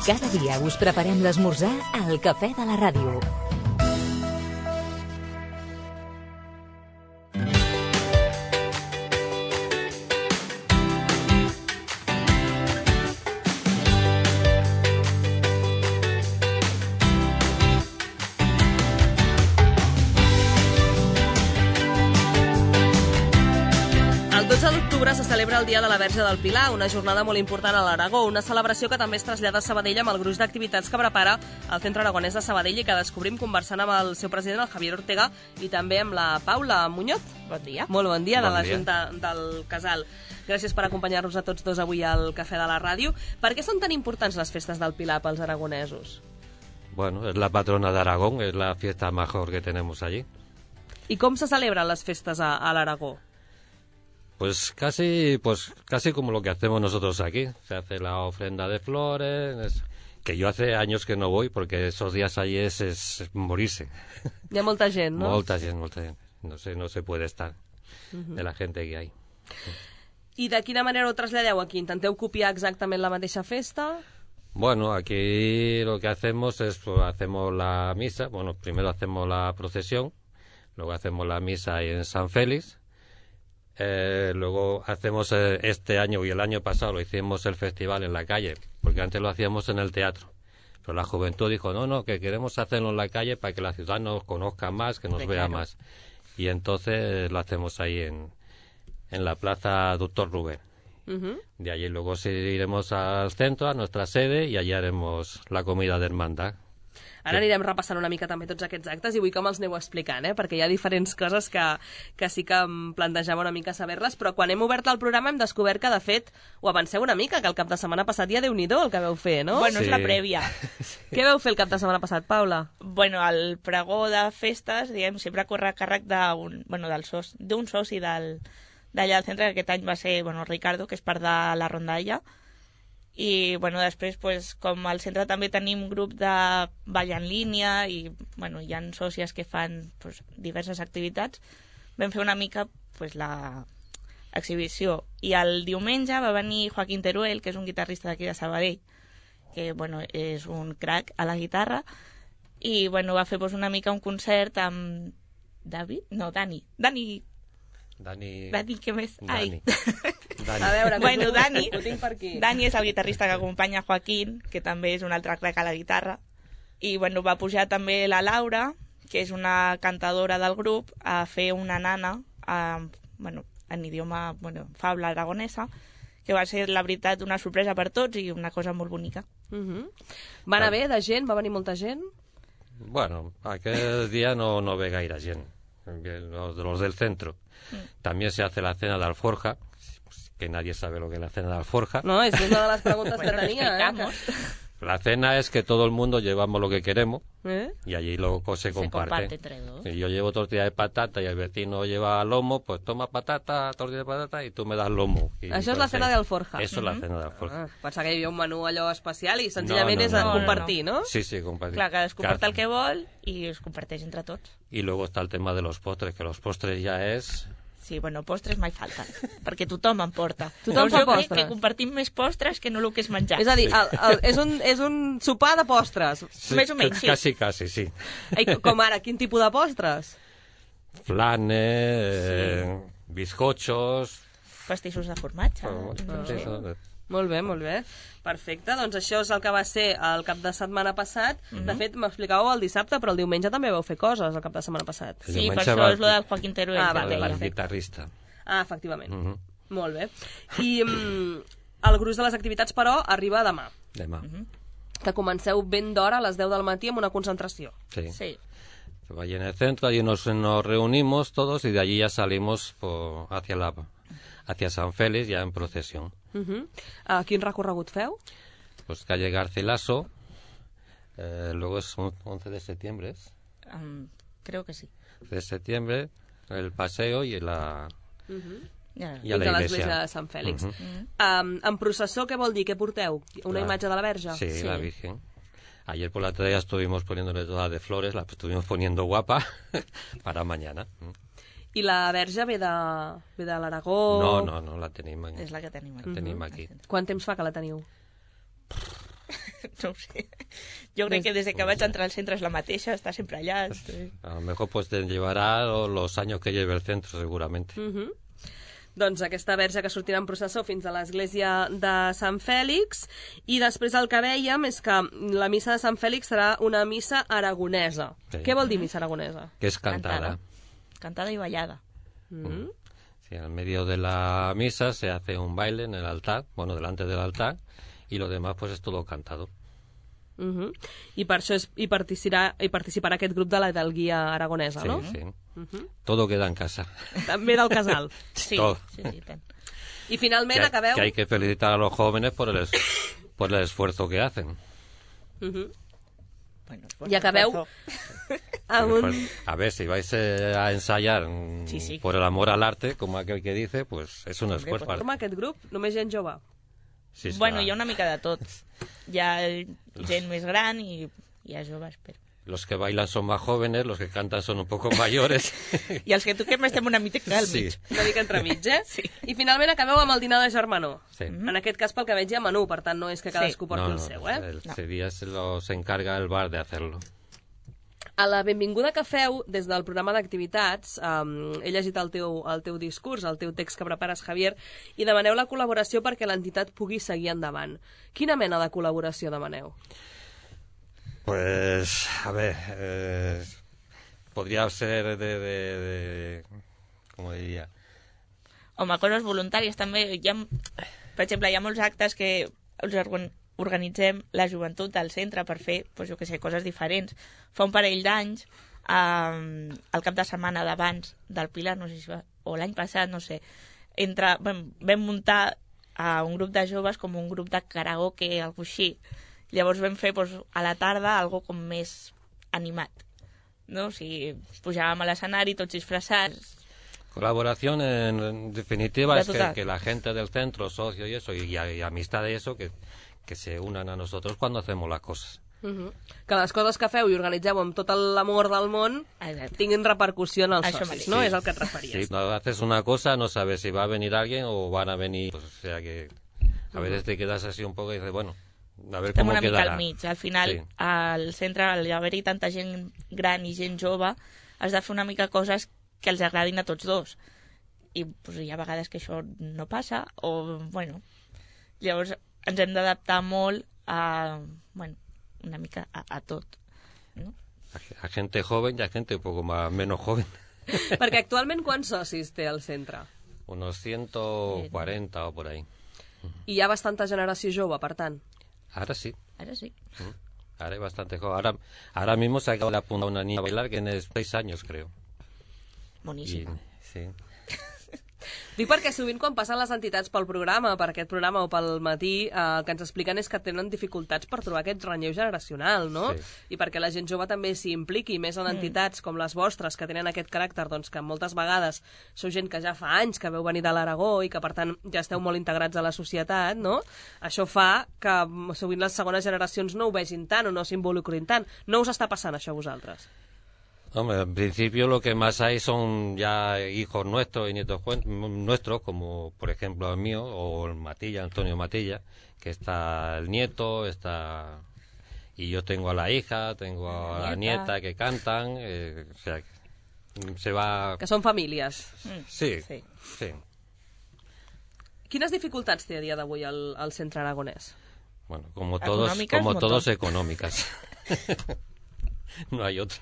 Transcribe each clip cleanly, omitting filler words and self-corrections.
Cada dia us preparem l'esmorzar al Cafè de la Ràdio. El 12 d'octubre se celebra el Dia de la Verge del Pilar, una jornada molt important a l'Aragó, una celebració que també es trasllada a Sabadell amb el gruix d'activitats que prepara el Centre Aragonès de Sabadell i que descobrim conversant amb el seu president, el Javier Ortega, i també amb la Paula Muñoz. Bon dia. Molt bon dia, Bon de la dia. Junta del Casal. Gràcies per acompanyar-nos a tots dos avui al Cafè de la Ràdio. Per què són tan importants les festes del Pilar pels aragonesos? Bueno, es la patrona de Aragón, es la fiesta mejor que tenemos allí. I com se celebren les festes a l'Aragó? Pues casi como lo que hacemos nosotros aquí. Se hace la ofrenda de flores, que yo hace años que no voy porque esos días allí es morirse. Hi ha molta gent, no? Molta gent. No se puede estar de la gente que hay. I de quina manera ho traslladeu aquí? Intenteu copiar exactament la mateixa festa? Bueno, aquí lo que hacemos es, pues, hacemos la misa. Bueno, primero hacemos la procesión, luego hacemos la misa ahí en San Félix. Luego hacemos este año y el año pasado lo hicimos el festival en la calle, porque antes lo hacíamos en el teatro. Pero la juventud dijo, no, que queremos hacerlo en la calle para que la ciudad nos conozca más, que nos vea más. Y entonces lo hacemos ahí en la plaza Doctor Rubén. De allí luego iremos al centro, a nuestra sede, y allí haremos la comida de hermandad. Ara anirem repassant una mica també tots aquests actes i vull que me'ls aneu explicant, perquè hi ha diferents coses que sí que em plantejava una mica saber-les, però quan hem obert el programa hem descobert que, de fet, ho avanceu una mica, que el cap de setmana passat ja Déu-n'hi-do el que veu fer, no? Bueno, Sí. és la prèvia. Què veu fer el cap de setmana passat, Paula? Bueno, el pregó de festes, diguem, sempre corre a càrrec d'un soci d'allà del centre, que aquest any va ser, Ricardo, que és part de la rondalla. I, després, com al centre també tenim grup de ball en línia i, hi ha sòcies que fan diverses activitats, vam fer una mica la exhibició. I el diumenge va venir Joaquín Teruel, que és un guitarrista d'aquí de Sabadell, que, és un crac a la guitarra, i, va fer una mica un concert amb Dani, què més? Ai. A veure, Dani, ho tinc per aquí. Dani és el guitarrista que acompanya Joaquín, que també és un altre crac a la guitarra. I va pujar també la Laura, que és una cantadora del grup, a fer una nana en idioma fabla aragonesa, que va ser, la veritat, una sorpresa per tots i una cosa molt bonica. Va anar bé de gent? Va venir molta gent? Bueno, aquel día no ve gaire gent, los del centro. También se hace la cena de alforja, que nadie sabe lo que es la cena de alforja. No, és una de les preguntes que tenia, La cena es que todo el mundo llevamos lo que queremos ¿Eh? y allí luego se comparte. entre dos. Si yo llevo tortilla de patata y el vecino lleva lomo, pues toma patata, tortilla de patata y tú me das lomo. Y Això és la cena d'alforja. Eso es la cena de alforja. Pensava que hi havia un menú allò especial i senzillament és No. compartir, no? Sí, compartir. Clar, cadascú porta el que vol i es comparteix entre tots. Y luego está el tema de los postres, que los postres ya es... Sí, postres mai falten, perquè tothom en porta. Tothom Llavors fa jo crec postres. que compartim més postres que no el que és menjar. És a dir, és un sopar de postres. Sí, Més o menys, sí. Casi, sí. Com ara, quin tipus de postres? Flanes, bizcochos... Pastissos de formatge. Molt bé. Perfecte, doncs això és el que va ser el cap de setmana passat. De fet, m'explicàveu el dissabte, però el diumenge també vau fer coses el cap de setmana passat. El Sí, per diumenge això és lo del Joaquín Teruel. Ah, que vale, deia. El guitarrista. Ah, efectivament. Molt bé. I el gruix de les activitats, però, arriba demà. Demà. Que comenceu ben d'hora, a les 10 del matí, amb una concentració. Sí. Sí. Allí en el centro, allí nos reunimos todos y de allí ya salimos hacia San Félix, ya en procesión. Quin recorregut feu? Pues calle Garcilaso, luego es 11 de septiembre, ¿es? Creo que sí. De septiembre, el paseo y la... Ja. I a la de iglesia. l'església de Sant Fèlix. En processó, què vol dir? Què porteu? Una imatge de la Verge? Sí, la Virgen. Ayer por la tarde ya estuvimos poniéndole toda de flores, la estuvimos poniendo guapa para mañana. I la Verge ve de l'Aragó? No, la tenim aquí. És la que tenim aquí. La tenim aquí. Quant temps fa que la teniu? No ho sé. Jo crec que des que vaig entrar al centre és la mateixa, està sempre allà. A lo mejor pues te llevará los años que lleve el centro, seguramente. Doncs aquesta verge que sortirà en processó fins a l'església de Sant Fèlix, i després el que vèiem és que la missa de Sant Fèlix serà una missa aragonesa. Sí. Què vol dir missa aragonesa? Que es cantada. Cantada i ballada. Sí, en medio de la misa se hace un baile en el altar, bueno, delante del altar, y lo demás pues es todo cantado. I per això hi participarà aquest grup de la Hidalguia aragonesa, Sí, no? sí. Todo queda en casa. També del casal. Sí, Tot. sí, tant. I finalment acabeu... Que hay que felicitar a los jóvenes por el esfuerzo que hacen. Bueno, I acabeu amb un... A ver, si vais a ensayar Sí. por el amor al arte, como aquel que dice, pues es un esfuerzo. Forma aquest grup només gent jove. Sí, Bueno, hi ha una mica de tot. Hi ha gent més gran i hi ha joves, però... Los que bailan son más jóvenes, los que cantan son un poco mayores. I els que toquem estem una mica al mig. Una mica entremig, eh? Sí. I finalment acabeu amb el dinar de germanor. Sí. En aquest cas, pel que veig, hi ha menú, per tant, no és que cadascú porti el seu, eh? Ese día se encarga el bar de hacerlo. A la benvinguda que feu des del programa d'activitats, he llegit el teu discurs, el teu text que prepares, Javier, i demaneu la col·laboració perquè l'entitat pugui seguir endavant. Quina mena de col·laboració demaneu? Pues, a ver, podría ser ¿cómo diría? Home, coses voluntàries també. Per exemple, hi ha molts actes que els organitzem la joventut del centre per fer, doncs, jo què sé, coses diferents. Fa un parell d'anys, el cap de setmana d'abans del Pilar, no sé si va, o l'any passat, no sé, vam muntar un grup de joves com un grup de karaoke, algo així. Llavors vam fer a la tarda algo com més animat, no? O sigui, pujàvem a l'escenari tots disfressats. Colaboración en definitiva es total. que la gente del centro, socios y eso, y amistad y eso, que se unan a nosotros cuando hacemos las cosas. Que les coses que feu i organitzeu amb tot l'amor del món tinguin repercussió en els Això socis, mateix. no? Sí. És el que et referies. Sí, no haces una cosa, no sabes si va a venir alguien o van a venir, pues, o sea que a veces te quedas así un poco y dices, bueno, a ver Estem cómo una mica quedarà. al mig. Al final, Sí. al centre, al haver-hi tanta gent gran i gent jove, has de fer una mica coses que els agradin a tots dos. I pues, hi ha vegades que això no passa, o, bueno, llavors ens hem d'adaptar molt a, bueno, una mica a tot, no? A gente joven y a gente un poco menos joven. Perquè actualment quants socis té el centre? Unos 140 o por ahí. I hi ha bastanta generació jove, per tant. Ahora sí. Ara sí. Ahora hay bastante joven. Ahora mismo se acaba de apuntar una niña a bailar que tiene 6 años, creo. Boníssima. Sí. Dic perquè sovint quan passen les entitats pel programa, per aquest programa o pel matí, el que ens expliquen és que tenen dificultats per trobar aquest relleu generacional, no? Sí. I perquè la gent jove també s'hi impliqui, més en entitats com les vostres, que tenen aquest caràcter, doncs que moltes vegades sou gent que ja fa anys que veu venir de l'Aragó i que per tant ja esteu molt integrats a la societat, no? Això fa que sovint les segones generacions no ho vegin tant o no s'involucrin tant. No us està passant això a vosaltres? Hombre, en principio lo que más hay son ya hijos nuestros y nietos nuestros, como por ejemplo el mío, o el Matilla, Antonio Matilla, que está el nieto, está... Y yo tengo a la hija, tengo a la nieta que cantan, o sea, se va... Que són famílies. Sí, Sí. sí. Quines dificultats té a dia d'avui el centre aragonès? Bueno, como Económicas, todos montón. económicas. No hay otra.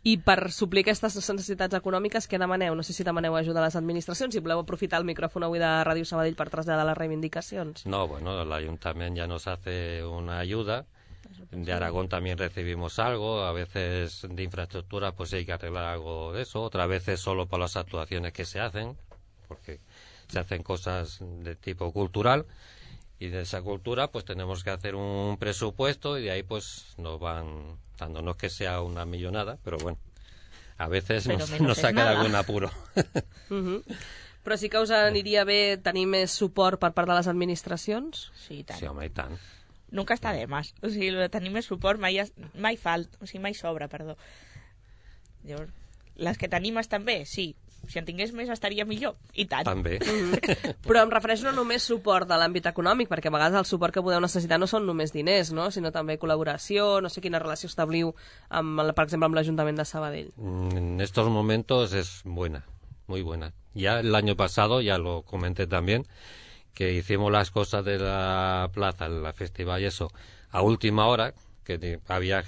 I per suplir aquestes necessitats econòmiques, què demaneu? No sé si demaneu ajuda a les administracions, si voleu aprofitar el micròfon avui de Ràdio Sabadell per traslladar les reivindicacions. No, bueno, el ayuntamiento ya nos hace una ayuda. De Aragón también recibimos algo, a veces de infraestructura pues hay que arreglar algo de eso, otras veces solo para las actuaciones que se hacen, porque se hacen cosas de tipo cultural, y de esa cultura pues tenemos que hacer un presupuesto y de ahí pues nos van dando, no es que sea una millonada, pero bueno, a veces Pero nos menos es saca de nada. algún apuro. Però sí que us aniria bé tenir més suport per part de les administracions? Sí, i tant. Sí, home, i tant. Nunca està de més. O sigui, el de tenir més suport mai falta, o sigui, mai sobra, perdó. Llavors, les que tenim estan bé, sí, Si en tingués més estaria millor, i tant. També. Però em refereixo no només suport de l'àmbit econòmic, perquè a vegades el suport que podeu necessitar no són només diners, no? Sinó també col·laboració, no sé quina relació establiu, per exemple, amb l'Ajuntament de Sabadell. En estos momentos es buena, muy buena. Ya el año pasado, ya lo comenté también, que hicimos las cosas de la plaza, la festival y eso, a última hora, que había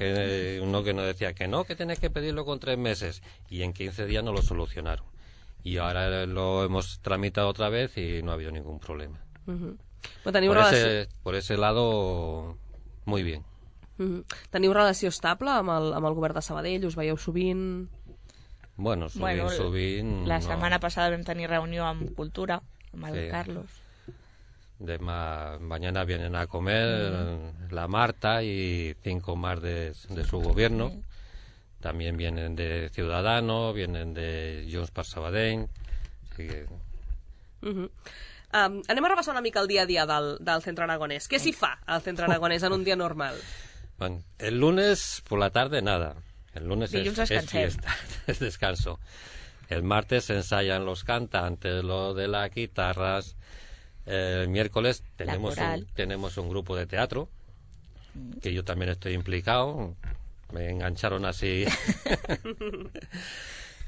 uno que nos decía que no, que tenés que pedirlo con 3 meses, y en 15 días no lo solucionaron. Y ahora lo hemos tramitado otra vez y no ha habido ningún problema. Por ese lado, muy bien. Teniu relació estable amb el govern de Sabadell? Us veieu sovint? Bueno, sovint... La setmana passada vam tenir reunió amb Cultura, amb el Carlos. Mañana vienen a comer la Marta y 5 más de su gobierno. Sí. También vienen de Ciudadanos, vienen de Junts per Sabadell. Así que... anem a repassar una mica el dia a dia del Centro Aragonés. Què s'hi fa al Centro Aragonés en un dia normal? Bueno, el lunes por la tarde nada. El lunes es fiesta, es descanso. El martes se ensayan los cantantes, lo de las guitarras. El miércoles tenemos un grupo de teatro, que yo también estoy implicado. Me engancharon así.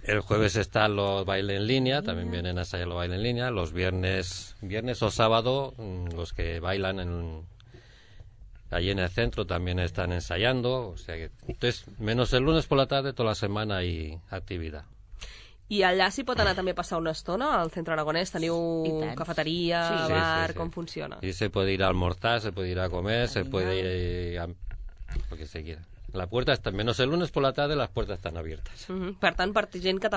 El jueves están los bailes en línea, también vienen a ensayar los bailes en línea. Los viernes o sábado, los que bailan allí en el centro también están ensayando. O sea que, entonces, menos el lunes por la tarde, toda la semana hay actividad. I allà s'hi pot anar també a passar una estona al Centro Aragonés? Teniu cafeteria, bar, com funciona? Y se puede ir a almorzar, se puede ir a comer, se puede ir a lo que se quiera. La puerta está, menos el lunes por la tarde, las puertas están abiertas. Per tant, per gent que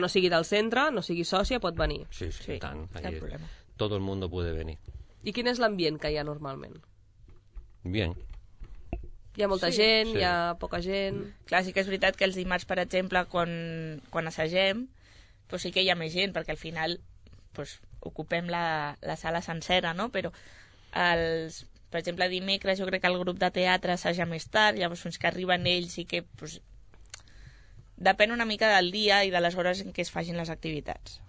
no sigui del centre, no sigui sòcia, pot venir. Sí, tant. Todo el mundo puede venir. I quin és l'ambient que hi ha normalment? Bien. Hi ha molta gent, hi ha poca gent... Clar, sí que és veritat que els dimarts, per exemple, quan assagem, pues sí que hi ha més gent, perquè al final pues, ocupem la sala sencera, no? Però, per exemple, dimecres jo crec que el grup de teatre assaja més tard, llavors fins que arriben ells i que... Pues, depèn una mica del dia i de les hores en què es facin les activitats.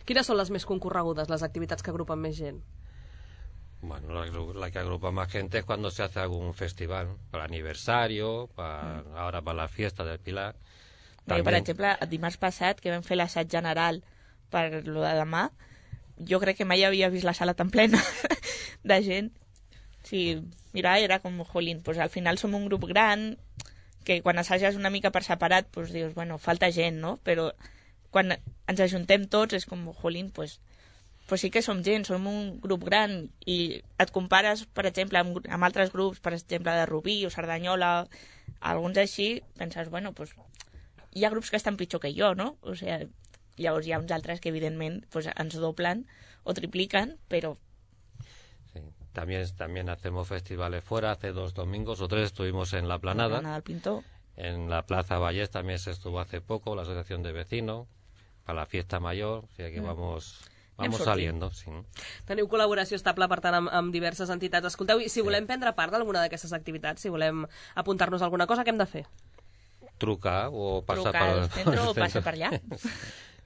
Quines són les més concorregudes, les activitats que agrupen més gent? Bueno, la que agrupa más gente es cuando se hace algún festival, para el aniversario, ahora para la fiesta del Pilar. También... Per exemple, el dimarts passat, que vam fer l'assaig general per lo de demà, jo crec que mai havia vist la sala tan plena de gent. Sí, mira, era com, jolín, pues al final som un grup gran, que quan assages una mica per separat, pues dius, bueno, falta gent, no? Però quan ens ajuntem tots és com, jolín, pues sí que som gent, som un grup gran i et compares, per exemple, amb altres grups, per exemple, de Rubí o Cerdanyola, alguns així, penses, bueno, pues, hi ha grups que estan pitjor que jo, no? O sea, llavors hi ha uns altres que, evidentment, pues, ens doblen o tripliquen, però... Sí. También hacemos festivales fuera. Hace 2 domingos o 3 estuvimos en La Planada. La Planada del Pintor. En la Plaza Vallés también se estuvo hace poco, la Asociación de Vecinos, para la Fiesta Mayor, o sea que vamos saliendo, sí. Teniu col·laboració estable, per tant, amb diverses entitats. Escolteu, i si volem prendre part d'alguna d'aquestes activitats, si volem apuntar-nos a alguna cosa, què hem de fer? Trucar o passar al centro o passar per allà.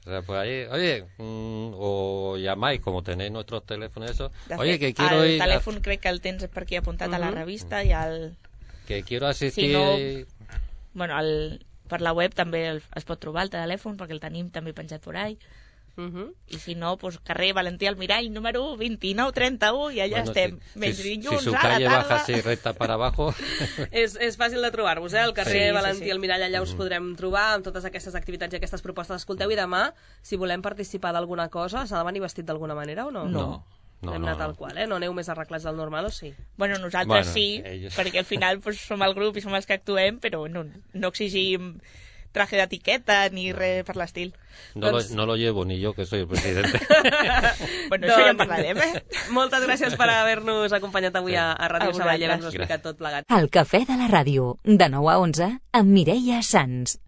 O sea, pues ahí, oye, o llamáis, como tenéis nuestros teléfonos, eso. Oye, que quiero ir... El telèfon crec que el tens perquè apuntat a la revista i al... Que quiero asistir... Si no, bueno, per la web també es pot trobar el telèfon, perquè el tenim també penjat por ahí. I si no, pues carrer Valentí Almirall número 2931 i allà estem. Si su calle baja así recta para abajo... és fàcil de trobar-vos, el carrer Valentí Almirall, allà us podrem trobar amb totes aquestes activitats i aquestes propostes. Escolteu, i demà, si volem participar d'alguna cosa, s'ha de venir vestit d'alguna manera o no? No. Hem anat tal qual, no aneu més arreglats del normal, o sí? Bueno, nosaltres sí, perquè al final pues, som el grup i som els que actuem, però no exigim traje de etiqueta ni res per l'estil. No lo llevo ni yo, que soy el presidente. Bueno, això ja en parlarem, Moltes gràcies per haver-nos acompanyat avui a Ràdio Sabadell i haver-nos explicat tot plegat. El Cafè de la Ràdio, de 9 a 11, amb Mireia Sans.